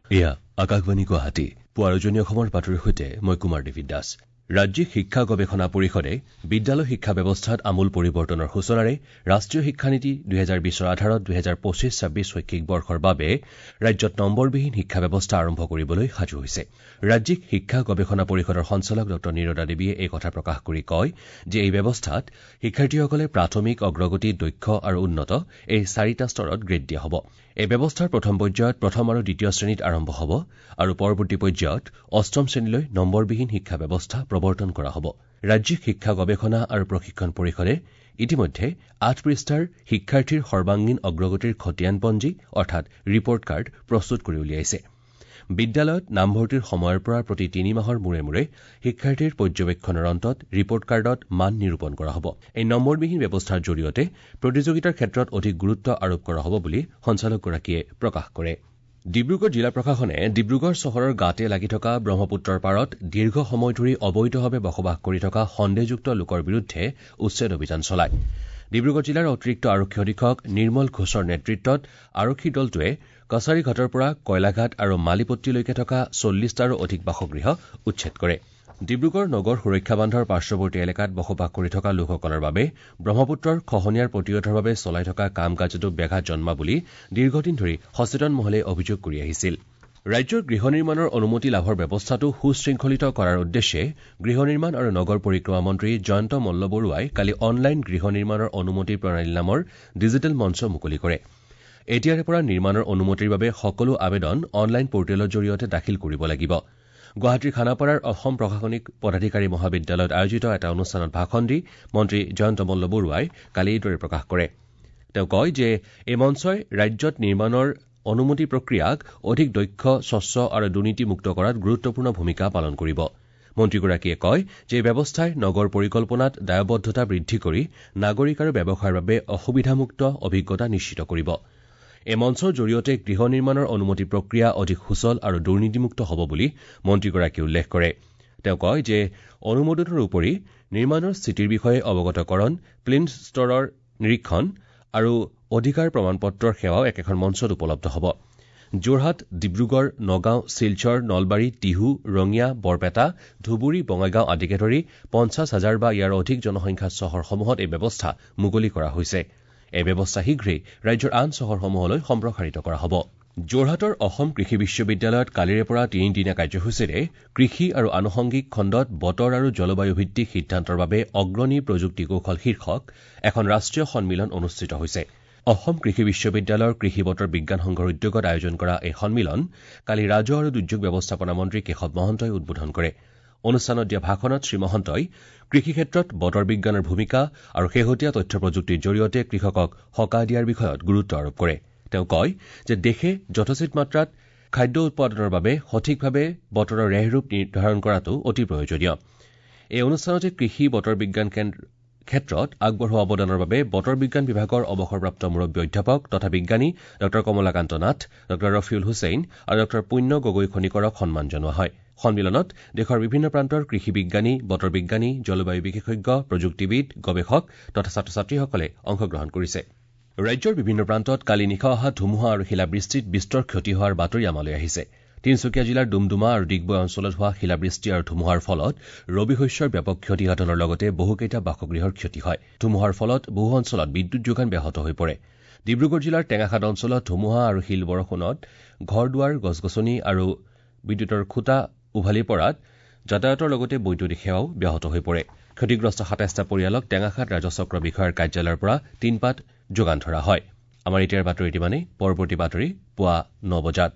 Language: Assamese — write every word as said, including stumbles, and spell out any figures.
এয়া আকাশবাণী গুৱাহাটী পুৱাৰ উজনি অসমৰ বাতৰিৰ সৈতে মই কুমাৰ দেৱী দাস। ৰাজ্যিক শিক্ষা গৱেষণা পৰিষদে বিদ্যালয় শিক্ষা ব্যৱস্থাত আমূল পৰিৱৰ্তনৰ সূচনাৰে ৰাষ্ট্ৰীয় শিক্ষানীতি দুহেজাৰ বিশৰ আধাৰত দুহেজাৰ পঁচিছ ছাব্বিছ শৈক্ষিক বৰ্ষৰ বাবে ৰাজ্যত নম্বৰবিহীন শিক্ষা ব্যৱস্থা আৰম্ভ কৰিবলৈ সাজু হৈছে। ৰাজ্যিক শিক্ষা গৱেষণা পৰিষদৰ সঞ্চালক ডঃ নীৰদা দেৱীয়ে এই কথা প্ৰকাশ কৰি কয় যে এই ব্যৱস্থাত শিক্ষাৰ্থীসকলে প্ৰাথমিক, অগ্ৰগতি, দক্ষ আৰু উন্নত এই চাৰিটা স্তৰত গ্ৰেড দিয়া হ'ব। এই ব্যৱস্থাৰ প্ৰথম পৰ্যায়ত প্ৰথম আৰু দ্বিতীয় শ্ৰেণীত আৰম্ভ হ'ব আৰু পৰৱৰ্তী পৰ্যায়ত অষ্টম শ্ৰেণীলৈ নম্বৰবিহীন শিক্ষা ব্যৱস্থা প্ৰৱৰ্তন কৰা হ'ব। ৰাজ্যিক শিক্ষা গৱেষণা আৰু প্ৰশিক্ষণ পৰিষদে ইতিমধ্যে আঠ পৃষ্ঠাৰ শিক্ষাৰ্থীৰ সৰ্বাংগীন অগ্ৰগতিৰ খতিয়ানপঞ্জী অৰ্থাৎ ৰিপৰ্ট কাৰ্ড প্ৰস্তুত কৰি উলিয়াইছে। বিদ্যালয়ত নামভৰ্তিৰ সময়ৰ পৰা প্ৰতি তিনি মাহৰ মূৰে মূৰে শিক্ষাৰ্থীৰ পৰ্যবেক্ষণৰ অন্তত ৰিপৰ্ট কাৰ্ডত মান নিৰূপণ কৰা হ'ব। এই নম্বৰবিহীন ব্যৱস্থাৰ জৰিয়তে প্ৰতিযোগিতাৰ ক্ষেত্ৰত অধিক গুৰুত্ব আৰোপ কৰা হ'ব বুলি সঞ্চালকগৰাকীয়ে প্ৰকাশ কৰে। ডিব্ৰুগড় জিলা প্ৰশাসনে ডিব্ৰুগড় চহৰৰ গাতে লাগি থকা ব্ৰহ্মপুত্ৰৰ পাৰত দীৰ্ঘ সময় ধৰি অবৈধভাৱে বসবাস কৰি থকা সন্দেহযুক্ত লোকৰ বিৰুদ্ধে উচ্ছেদ অভিযান চলায়। ডিব্ৰুগড় জিলাৰ অতিৰিক্ত আৰক্ষী অধীক্ষক নিৰ্মল ঘোষৰ নেতৃত্বত আৰক্ষীৰ দলটোৱে কছাৰীঘাটৰ পৰা কয়লাঘাট আৰু মালিপট্টিলৈকে থকা চল্লিছটাৰো অধিক বাসগৃহ উচ্ছেদ কৰে। ডিব্ৰুগড় নগৰ সুৰক্ষা বান্ধৰ পাৰ্শ্বৱৰ্তী এলেকাত বসবাস কৰি থকা লোকসকলৰ বাবে ব্ৰহ্মপুত্ৰৰ খহনীয়াৰ প্ৰতিৰোধৰ বাবে চলাই থকা কাম কাজতো ব্যাঘাত জন্মা বুলি দীৰ্ঘদিন ধৰি সচেতন মহলে অভিযোগ কৰি আহিছিল। ৰাজ্যৰ গৃহ নিৰ্মাণৰ অনুমতি লাভৰ ব্যৱস্থাটো সুশৃংখলিত কৰাৰ উদ্দেশ্যে গৃহ নিৰ্মাণ আৰু নগৰ পৰিক্ৰমা মন্ত্ৰী জয়ন্ত মল্ল বৰুৱাই কালি অনলাইন গৃহ নিৰ্মাণৰ অনুমতি প্ৰণালী নামৰ ডিজিটেল মঞ্চ মুকলি কৰে। এতিয়াৰে পৰা নিৰ্মাণৰ অনুমতিৰ বাবে সকলো আবেদন অনলাইন পৰ্টেলৰ জৰিয়তে দাখিল কৰিব লাগিব। গুৱাহাটীৰ খানাপাৰাৰ অসম প্ৰশাসনিক পদাধিকাৰী মহাবিদ্যালয়ত আয়োজিত এটা অনুষ্ঠানত ভাষণ দি মন্ত্ৰী জয়ন্ত মল্ল বৰুৱাই কালি এইদৰে প্ৰকাশ কৰে। তেওঁ কয় যে এই মঞ্চই ৰাজ্যত নিৰ্মাণৰ অনুমতি প্ৰক্ৰিয়াক অধিক দক্ষ, স্বচ্ছ আৰু দুৰ্নীতিমুক্ত কৰাত গুৰুত্বপূৰ্ণ ভূমিকা পালন কৰিব। মন্ত্ৰীগৰাকীয়ে কয় যে এই ব্যৱস্থাই নগৰ পৰিকল্পনাত দায়বদ্ধতা বৃদ্ধি কৰি নাগৰিক আৰু ব্যৱসায়ৰ বাবে অসুবিধামুক্ত অভিজ্ঞতা নিশ্চিত কৰিব। এই মঞ্চৰ জৰিয়তে গৃহ নিৰ্মাণৰ অনুমতি প্ৰক্ৰিয়া অধিক সুচল আৰু দুৰ্নীতিমুক্ত হ'ব বুলি মন্ত্ৰীগৰাকীয়ে উল্লেখ কৰে। তেওঁ কয় যে অনুমোদনৰ উপৰি নিৰ্মাণৰ স্থিতিৰ বিষয়ে অৱগতকৰণ, প্লিন্থ স্তৰৰ নিৰীক্ষণ আৰু অধিকাৰ প্ৰমাণপত্ৰৰ সেৱাও একেখন মঞ্চত উপলব্ধ হ'ব। যোৰহাট, ডিব্ৰুগড়, নগাঁও, শিলচৰ, নলবাৰী, টিহু, ৰঙিয়া, বৰপেটা, ধুবুৰী, বঙাইগাঁও আদিকে ধৰি পঞ্চাছ হাজাৰ বা ইয়াৰ অধিক জনসংখ্যাৰ চহৰসমূহত এই ব্যৱস্থা মুকলি কৰা হৈছে। এই ব্যৱস্থা শীঘ্ৰেই ৰাজ্যৰ আন চহৰসমূহলৈ সম্প্ৰসাৰিত কৰা হ'ব। যোৰহাটৰ অসম কৃষি বিশ্ববিদ্যালয়ত কালিৰে পৰা তিনিদিনীয়া কাৰ্যসূচীৰে কৃষি আৰু আনুষংগিক খণ্ডত বতৰ আৰু জলবায়ু ভিত্তিক সিদ্ধান্তৰ বাবে অগ্ৰণী প্ৰযুক্তি কৌশল শীৰ্ষক এখন ৰাষ্ট্ৰীয় সন্মিলন অনুষ্ঠিত হৈছে। অসম কৃষি বিশ্ববিদ্যালয়ৰ কৃষি বতৰ বিজ্ঞান সংঘৰ উদ্যোগত আয়োজন কৰা এই সন্মিলন কালি ৰাজহ আৰু দুৰ্যোগ ব্যৱস্থাপনা মন্ত্ৰী কেশৱ মহন্তই উদ্বোধন কৰে। অনুষ্ঠানত দিয়া ভাষণত শ্ৰীমহন্তই কৃষি ক্ষেত্ৰত বতৰ বিজ্ঞানৰ ভূমিকা আৰু শেহতীয়া তথ্য প্ৰযুক্তিৰ জৰিয়তে কৃষকক সকাহ দিয়াৰ বিষয়ত গুৰুত্ব আৰোপ কৰে। তেওঁ কয় যে দেশে যথোচিত মাত্ৰাত খাদ্য উৎপাদনৰ বাবে সঠিকভাৱে বতৰৰ ৰেহৰূপ নিৰ্ধাৰণ কৰাটো অতি প্ৰয়োজনীয়। এই অনুষ্ঠানতে কৃষি বতৰ বিজ্ঞান ক্ষেত্ৰত আগবঢ়োৱা অৱদানৰ বাবে বতৰ বিজ্ঞান বিভাগৰ অৱসৰপ্ৰাপ্ত মুৰব্বী অধ্যাপক তথা বিজ্ঞানী ডঃ কমলাকান্ত নাথ, ডঃ ৰফিউল হুছেইন আৰু ডঃ পুণ্য গগৈ খনিকৰক সন্মান জনোৱা হয়। সন্মিলনত দেশৰ বিভিন্ন প্ৰান্তৰ কৃষি বিজ্ঞানী, বতৰ বিজ্ঞানী, জলবায়ু বিশেষজ্ঞ, প্ৰযুক্তিবিদ, গৱেষক তথা ছাত্ৰ ছাত্ৰীসকলে অংশগ্ৰহণ কৰিছে। ৰাজ্যৰ বিভিন্ন প্ৰান্তত কালি নিশা অহা ধুমুহা আৰু শিলাবৃষ্টিত বিস্তৰ ক্ষতি হোৱাৰ বাতৰি আমালৈ আহিছে। তিনিচুকীয়া জিলাৰ ডুমডুমা আৰু ডিগবৈ অঞ্চলত হোৱা শিলাবৃষ্টি আৰু ধুমুহাৰ ফলত ৰবি শস্যৰ ব্যাপক ক্ষতিসাধনৰ লগতে বহুকেইটা বাসগৃহৰ ক্ষতি হয়। ধুমুহাৰ ফলত বহু অঞ্চলত বিদ্যুৎ যোগান ব্যাহত হৈ পৰে। ডিব্ৰুগড় জিলাৰ টেঙাখাট অঞ্চলত ধুমুহা আৰু শিল বৰষুণত ঘৰ দুৱাৰ, গছ গছনি আৰু বিদ্যুতৰ খুঁটা উভালি পৰাত যাতায়াতৰ লগতে বৈদ্যুতিক সেৱাও ব্যাহত হৈ পৰে। ক্ষতিগ্ৰস্ত সাতাইছটা পৰিয়ালক টেঙাখাট ৰাজহচক্ৰ বিষয়াৰ কাৰ্যালয়ৰ পৰা টিনপাত যোগান ধৰা হয়। আমাৰ এতিয়াৰ বাতৰি ইমানেই। পৰৱৰ্তী বাতৰি পুৱা ন বজাত।